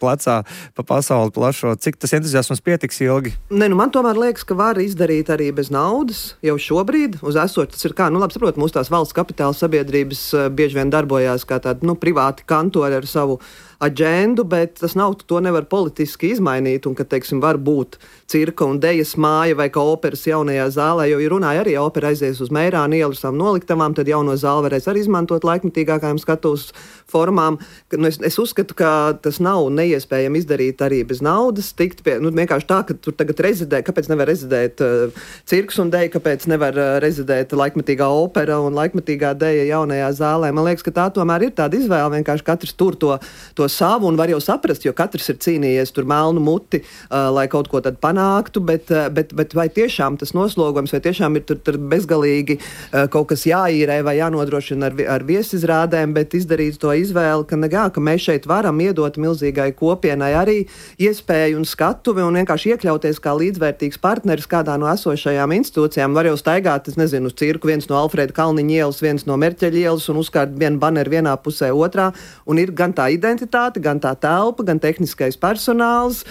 plecā pa pasauli plašo. Cik tas entuziasms pietiks ilgi? Ne, nu man tomēr liekas, ka var izdarīt arī bez naudas jau šobrīd. Uz esošu tas ir kā, nu labi saprot, mūsu tās valsts kapitāla sabiedrības bieži vien darbojās kā tādi, nu, privāti kantori ar savu aģendu, bet tas nav, to nevar politiski izmainīt, un ka, teiksim, var būt cirka un dejas māja vai kā operas jaunajā zālē, jo, ja runāja arī opera aizies uz Meirānu ielu savām noliktavām, tad jauno zāli varēs arī izmantot laikmetīgākajām skatuves formām. Nu, es, es uzskatu, ka tas nav neiespējami izdarīt arī bez naudas, tikt pie, nu, vienkārši tā, ka tur tagad rezidē, kāpēc nevar rezidēt uh, cirks un deja, kāpēc nevar uh, rezidēt laikmetīgā opera un laikmetīgā deja jaunajā zālē. Man liekas, ka tā tomēr ir tāda izvēle, vienkārši katrs tur to, to savu, un var jau saprast, jo katrs ir cīnījies tur melnu muti, uh, lai kaut ko tad panāktu, bet, uh, bet, bet vai tiešām tas noslogojums, vai tiešām ir tur, tur bezgalīgi uh, kaut kas jāīrē vai jānodrošina ar, ar viesizrādēm, bet izdarīt to izvēli, ka, negā, ka mēs šeit varam iedot milzīgai kopienai arī iespēju un skatuvi un vienkārši iekļauties kā līdzvērtīgs partneris kādā no esošajām institūcijām. Var jau staigāt, es nezinu, uz cirku, viens no Alfrēda Kalniņa ielas, viens no Merķeļa ielas un uzkārt vienu baneru vienā pusē otrā, un ir gan tā identitāte, gan tā telpa, gan tehniskais personāls,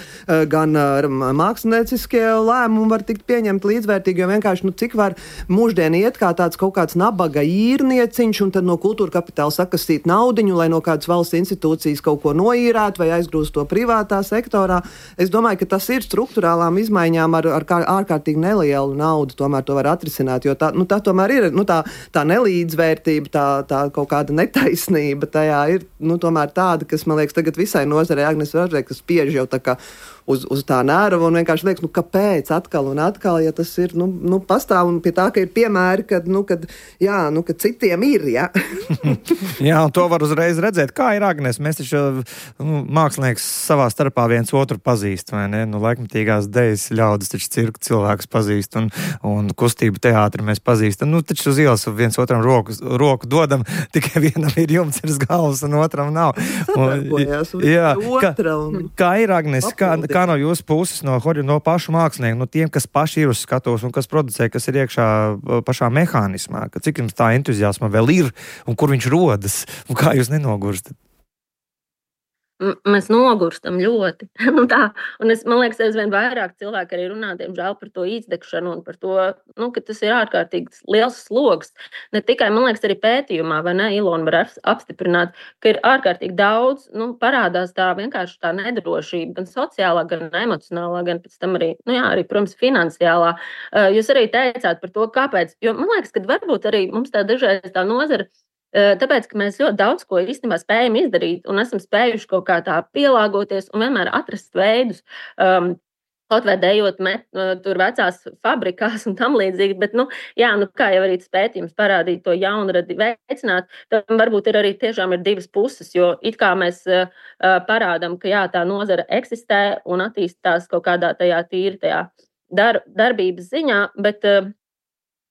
gan mākslinieciskie lēmumi var tikt pieņemti līdzvērtīgi, jo vienkārši, nu, cik var mūždien iet kā tāds kaut kāds nabaga īrnieciņš un tad no kultūra kapitāla sakastīt naudiņu, lai no kādas valsts institūcijas kaut ko noīrētu vai aizgrūst to privātā sektorā. Es domāju, ka tas ir struktūrālām izmaiņām ar, ar kā, ārkārtīgi nelielu naudu, tomēr to var atrisināt, jo tā, nu, tā tomēr ir, nu, tā, tā nelīdzvērtība, tā, tā kaut kāda netaisnība tajā ir, nu, tomēr tāda, kas, man liekas, tagad visai nozarei, Agnes Varžē, kas spiež jau tā kā uz, uz tā nerva un vienkārši liekas, nu, kāpēc atkal un atkal, ja tas ir, nu, nu pastāv un pie tā, ka ir piemēri, kad, nu, kad, jā, nu, kad citiem ir, jā. Jā, un to var uzreiz redzēt. Kā ir, Agnes? Mēs taču, nu, mākslinieks savā starpā viens otru pazīst, vai ne? Nu, laikmetīgās dejas ļaudis taču cirku cilvēkus pazīst un, un kustību teātri mēs pazīstam. Nu, taču uz ielas viens otram roku, roku dodam, tikai vienam ir jumts virs galvas un otram nav. Sadarbojās jā, otra un kā ir, Agnes, kā, kā no jūsu puses, no, no pašu mākslinieku, no tiem, kas paši ir uz skatuves un kas producē, kas ir iekšā pašā mehānismā, ka cik jums tā entuziasma vēl ir un kur viņš rodas un kā jūs nenogurstat? Mēs nogurstam ļoti. nu tā, un es, man liekas, aizvien vairāk cilvēki arī runā, diemžēl, par to izdegšanu un par to, nu, ka tas ir ārkārtīgi liels slogs. Ne tikai, man liekas, arī pētījumā, vai ne, Ilona var apstiprināt, ka ir ārkārtīgi daudz, nu, parādās tā vienkārši tā nedrošība, gan sociālā, gan emocionālā, gan pēc tam arī, nu jā, arī, protams, finansiālā. Jūs arī teicāt par to, kāpēc, jo man liekas, ka varbūt arī mums tā dažreiz tā nozara, tāpēc, ka mēs ļoti daudz ko īstenībā spējam izdarīt un esam spējuši kaut kā tā pielāgoties un vienmēr atrast veidus, um, kaut vai dejot met, tur vecās fabrikās un tam līdzīgi, bet, nu, jā, nu, kā jau arī tas pētījums parādīja to jaunradi veicināt, tad varbūt ir arī tiešām ir divas puses, jo it kā mēs uh, parādam, ka jā, tā nozara eksistē un attīstās kaut kādā tajā tīri tajā dar, darbības ziņā, bet uh,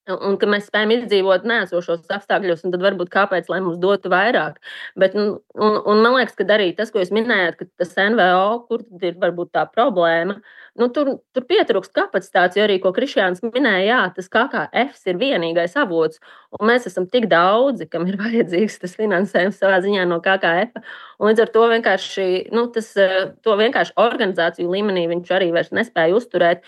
un ka mēs spējam izdzīvot neesošos apstākļos, un tad varbūt kāpēc, lai mums dotu vairāk. Bet, un, un, un man liekas, ka arī tas, ko jūs minējāt, ka tas N V O, kur tad ir varbūt tā problēma, nu, tur, tur pietrūkst kapacitātes, jo arī, ko Krišjāns minēja, jā, tas K K F ir vienīgais avots, un mēs esam tik daudzi, kam ir vajadzīgs tas finansējums savā ziņā no K K F, un līdz ar to vienkārši, nu, tas, to vienkārši organizāciju līmenī viņš arī vairs nespēja uzturēt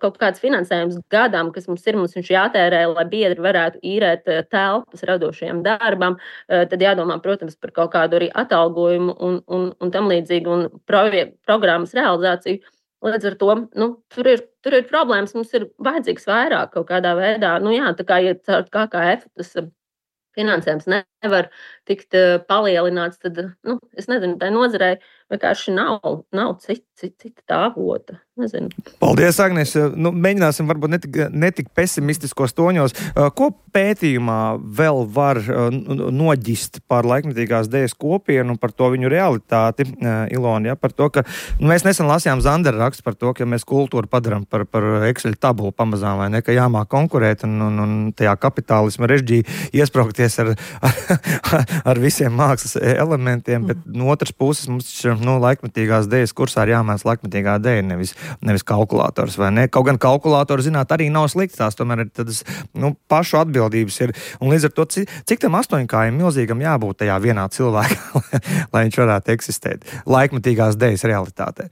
kaut kāds finansējums gadām, kas mums ir, mums viņš jātērē, lai biedri varētu īrēt telpas radošajam darbam, tad jādomā, protams, par kaut kādu arī atalgojumu un, un, un tam līdzīgi un proje, programmas realizāciju. Līdz ar to, nu, tur ir, tur ir problēmas, mums ir vajadzīgs vairāk kaut kādā veidā. Nu jā, tā kā, ja caur K K F tas finansējums nevar tikt palielināts, tad, nu, es nezinu, tai nozarei vienkārši nav, nav cita, cita, cita tā avota. Nezinu. Paldies, Agnes. Nu, mēģināsim varbūt netik, netik pesimistiskos toņos. Ko pētījumā vēl var noģist par laikmetīgās dejas kopienu un par to viņu realitāti, Ilona, ja? Par to, ka nu, mēs nesen lasījām Zandera rakstu par to, ka mēs kultūru padaram par, par Excel tabulu pamazām, vai ne, ka jāmāk konkurēt un, un, un tajā kapitālisma režģī iespraukties ar, ar, ar visiem mākslas elementiem, bet no otras puses mums nu, laikmetīgās dejas kursā ir jāmēs laikmetīgā deja, nevis, nevis kalkulators, vai ne? Kaut gan kalkulātori, zināt, arī nav slikts, tās tomēr ir tādas, nu, pašu atbildības ir, un līdz ar to, cik, cik tam astoņkājiem milzīgam jābūt tajā vienā cilvēkā, lai viņš varētu eksistēt laikmetīgās dejas realitātē.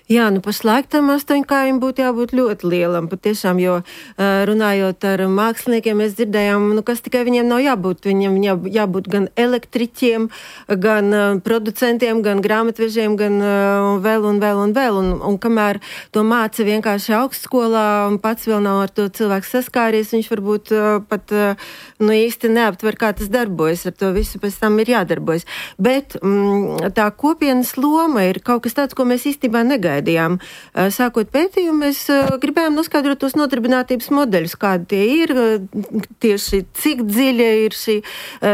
Jā, nu pašlaik tam astoņkājiem būtu jābūt ļoti lielam, patiešām, jo runājot ar māksliniekiem, mēs dzirdējām, nu kas tikai viņiem nav jābūt. Viņiem jā, jābūt gan elektriķiem, gan producentiem, gan grāmatvežiem, gan vēl un vēl un vēl. Un, un kamēr to māca vienkārši augstskolā un pats vēl nav ar to cilvēku saskāries, viņš varbūt pat nu, īsti neaptver, kā tas darbojas. Ar to visu pēc tam ir jādarbojas. Bet mm, tā kopienas loma ir kaut kas tāds, ko mēs īstenībā negaidām. Sākot pētījumu, mēs gribējām noskaidrot tos nodarbinātības modeļus, kādi tie ir, tieši cik dziļa ir šī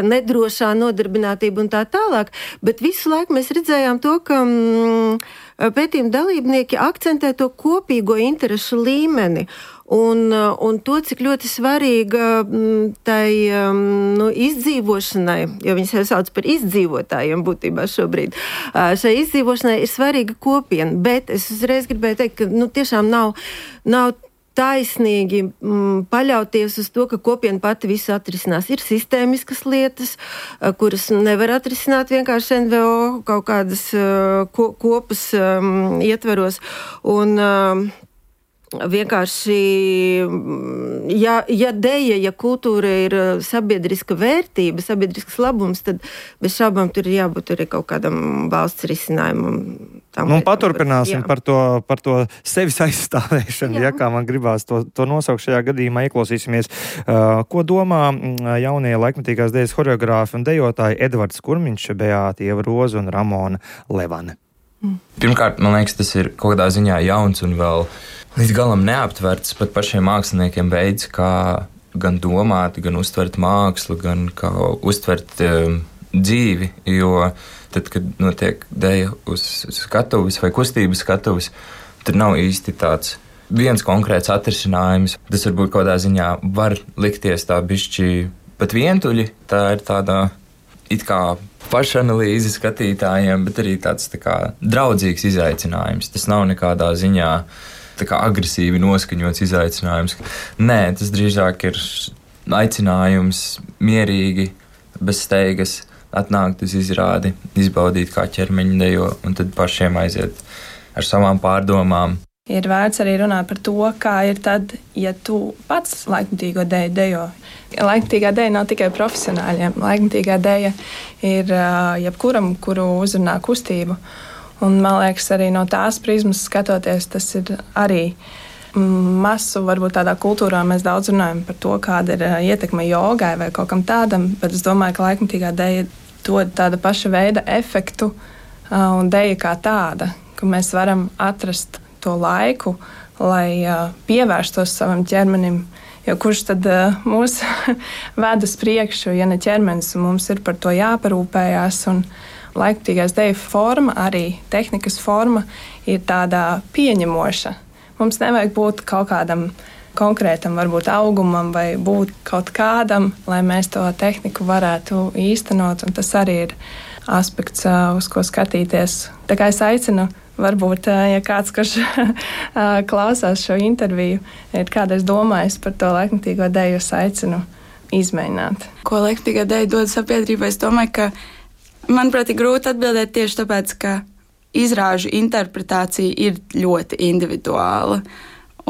nedrošā nodarbinātība un tā tālāk, bet visu laiku mēs redzējām to, ka mm, pētījuma dalībnieki akcentē to kopīgo interešu līmeni. Un, un to, cik ļoti svarīga tai nu, izdzīvošanai, jo viņi sev sauc par izdzīvotājiem būtībā šobrīd, šai izdzīvošanai ir svarīga kopiena, bet es uzreiz gribēju teikt, ka nu, tiešām nav, nav taisnīgi m, paļauties uz to, ka kopiena pati visu atrisinās. Ir sistēmiskas lietas, kuras nevar atrisināt vienkārši N V O kaut kādas ko, kopas um, ietveros. Un, um, Vienkārši, ja, ja deja, ja kultūra ir sabiedriska vērtība, sabiedrisks labums, tad bez šaubām tur ir jābūt arī kaut kādam valsts risinājumam. Nu, paturpināsim par to, par to sevis aizstāvēšanu, ja, kā man gribās to, to nosaukt šajā gadījumā, ieklausīsimies. Uh, ko domā jaunie laikmetīgās dejas horeogrāfi un dejotāji Edvards Kurmiņš, Beāta Ieva Roze un Ramona Levane? Pirmkārt, man liekas, tas ir kaut kādā ziņā jauns un vēl līdz galam neaptverts pat pašiem māksliniekiem veids, kā gan domāt, gan uztvert mākslu, gan kā uztvert um, dzīvi, jo tad, kad notiek deja uz skatuves vai kustības skatuves, tad nav īsti tāds viens konkrēts atrisinājums. Tas varbūt kaut kādā ziņā var likties tā bišķi pat vientuļi, tā ir tādā it kā pašanalīze skatītājiem, bet arī tāds tā kā draudzīgs izaicinājums. Tas nav nekādā ziņā tā kā agresīvi noskaņots izaicinājums. Nē, tas drīzāk ir aicinājums mierīgi, bez steigas, atnākt uz izrādi, izbaudīt kā ķermeņa dejo un tad pašiem aiziet ar savām pārdomām. Ir vērts arī runāt par to, kā ir tad, ja tu pats laikmetīgo deju dejo. Laikmetīgā deja nav tikai profesionāļiem. Laikmetīgā deja ir jebkuram, kuru uzrunā kustību. Un, man liekas, arī no tās prizmas skatoties, tas ir arī masu, varbūt tādā kultūrā mēs daudz runājam par to, kāda ir ietekme jogai vai kaut kam tādam, bet es domāju, ka laikmetīgā deja dod tāda paša veida efektu un deja kā tāda, ka mēs varam atrast to laiku, lai pievērstos savam ķermenim, jo kurš tad mūs ved uz priekšu, ja ne ķermenis, un mums ir par to jāparūpējās, un laikmetīgās deju forma, arī tehnikas forma, ir tāda pieņemoša. Mums nevajag būt kaut kādam konkrētam, varbūt augumam vai būt kaut kādam, lai mēs to tehniku varētu īstenot, un tas arī ir aspekts, uz ko skatīties. Tā kā es aicinu, varbūt, ja kāds, kurš klausās šo interviju, ir kādreiz domājis par to laikmetīgo deju, es aicinu izmēģināt. Ko laikmetīgā deja dod sabiedrībai, es domāju, ka manuprāt, ir grūti atbildēt tieši tāpēc, ka izrāžu interpretācija ir ļoti individuāla.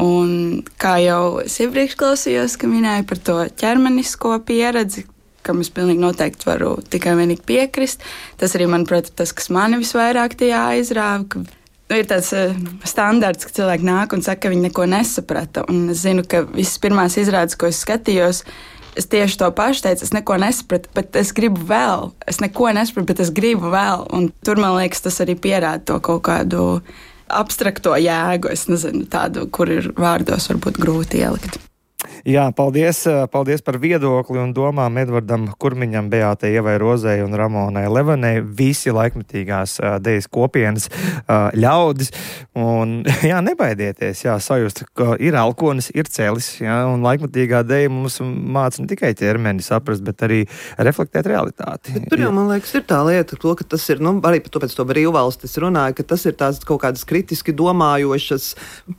Un kā jau es iepriekš klausījos, ka minēju par to ķermenisko pieredzi, kam es pilnīgi noteikti varu tikai vienīgi piekrist, tas arī, manuprāt, ir tas, kas mani visvairāk tajā aizrāva, ka nu, ir tāds uh, standarts, ka cilvēki nāk un saka, ka viņi neko nesaprata. Un es zinu, ka visas pirmās izrādes, ko es skatījos, es tieši to pašu teicu, es neko nesapratu, bet es gribu vēl. Es neko nesapratu, bet es gribu vēl. Un tur, man liekas, tas arī pierāda to kaut kādu abstrakto jēgu. Es nezinu, tādu, kur ir vārdos varbūt grūti ielikt. Jā, paldies, paldies par viedokli un domām Edvardam Kurmiņam, Beātei Ievai Rozei un Ramonai Levanei, visi laikmetīgās dejas kopienas ļaudis. Un, jā, nebaidieties, jā, sajust, ka ir elkonis, ir celis, jā, un laikmetīgā deja mums māca ne tikai ķermeni saprast, bet arī reflektēt realitāti. Bet tur jau, man liekas, ir tā lieta, to, ka tas ir, nu, arī to pēc to brīvvalstis runāja, ka tas ir tās kaut kādas kritiski domājošas,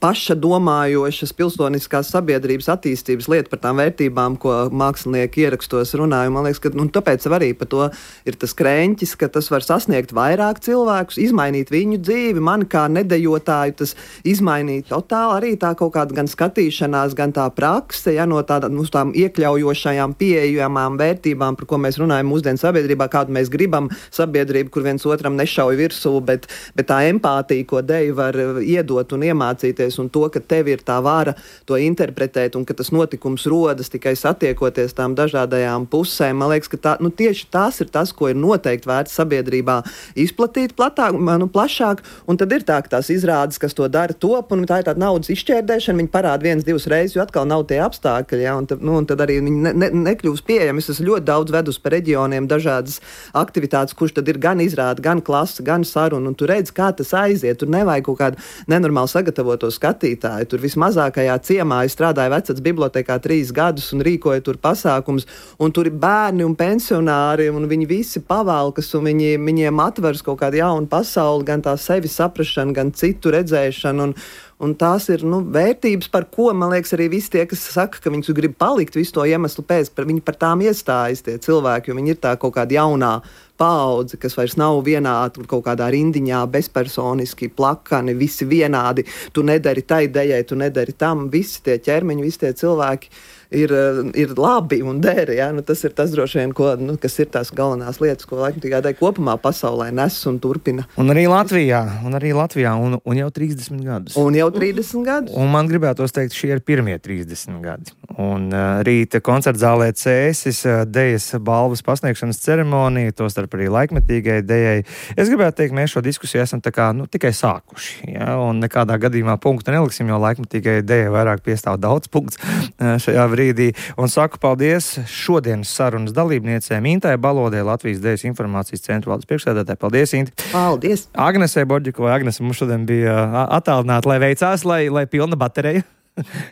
paša domājošas pilsoniskās sabiedrības attīstības lieta par tām vērtībām, ko mākslinieki ierakstos runāja. Man liekas, ka nu, tāpēc arī par to ir tas krēņķis, ka tas var sasniegt vairāk cilvēkus, izmainīt viņu dzīvi, mani kā nedejotāju, tas izmainīt totāli arī tā kaut kāda gan skatīšanās, gan tā prakse, ja, no tāda, uz tām iekļaujošajām, pieejamām vērtībām, par ko mēs runājam mūsdienu sabiedrībā, kādu mēs gribam sabiedrību, kur viens otram nešauj virsū, bet, bet tā empātija, ko deja var iedot un iemācīties, un to, ka tev ir tā vara to interpretēt, un ka tas notikums rodas tikai satiekoties tām dažādajām pusēm. Man liekas, ka tā, nu, tieši tas ir tas, ko ir noteikti vērts sabiedrībā izplatīt platāk, nu, plašāk, un tad ir tā, ka tās izrādes, kas to dara, top, un tā ir tāda naudas izšķērdēšana, viņi parāda viens, divas reizes, jo atkal nav tie apstākļi, ja, un, tad, nu, un tad arī viņi ne, ne, nekļūst pieejami. Es esmu ļoti daudz vedus pa reģioniem, dažādas aktivitātes, kurš tad ir gan izrāda, gan klasa, gan saruna, un tu redz, kā tas aiziet, tur nevajag kaut kādu nenormāli sagatavoto skatītāju, tur vismazākajā ciemā es strādāju Vecats bibliotekā trīs gadus un rīkoju tur pasākums, un tur ir bērni un pensionāri, un viņi visi pavalkas, un viņi, viņiem atveras kaut kādu jaunu pasauli, gan tā sevi saprašana, gan citu redzēšanu, un, un tās ir, nu, vērtības, par ko, man liekas, arī visi tie, kas saka, ka viņi grib palikt visu to iemeslu pēc, par, viņi par tām iestājas tie cilvēki, jo viņi ir tā kaut kāda jaunā paudze, kas vairs nav vienā tur kaut kādā rindiņā, bezpersoniski, plakani, visi vienādi, tu nedari tai dejai, tu nedari tam, visi tie ķermeņi, visi tie cilvēki ir, ir labi un deri, ja? Nu, tas ir tas droši vien, ko, nu, kas ir tās galvenās lietas, ko laikmetīgā deja kopumā pasaulē nes un turpina. Un arī Latvijā, un arī Latvijā, un, un jau trīsdesmit gadus. Un jau trīsdesmit gadus. Un man gribētos teikt, šie ir pirmie trīsdesmit gadi. Un uh, rīta koncertzālē Cēsis uh, dejas balvas pasniegšanas ceremonija, tostarp arī laikmetīgai dejai. Es gribētu teikt, mēs šo diskusiju esam tā kā, nu, tikai sākuši, ja? Un nekādā gadījumā punktu neliksim, jo laikmetīgai dejai vairāk piestāv daudz punkts uh, šajā brīdī. Un saku paldies šodienas sarunas dalībniecēm Intai Balodē, Latvijas Dejas informācijas centra valdes priekšsēdētāji. Paldies, Inti! Paldies! Agnesei Borģikovai. Agnese mums šodien bija attālināta, lai veicās, lai, lai pilna baterija.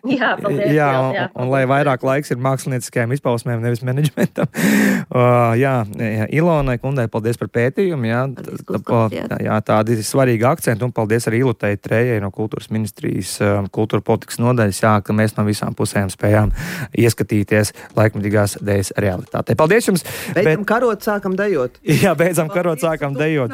Jā, paldies. Jā, un, jā, un lai vairāk laiks ir mākslinieckajām izpausmēm, nevis menedžmentam. Uh, jā, jā, Ilonai Kundai paldies par pētījumu. Jā, paldies, tā, jā, tādi svarīgi akcenti, un paldies arī Ilutei Trējai no Kultūras ministrijas kultūra politikas nodaļas, jā, ka mēs no visām pusēm spējām ieskatīties laikmetīgās dejas realitātē. Paldies jums! Beidzam bet... karot, sākam dejot. Jā, beidzam karot, sākam dejot.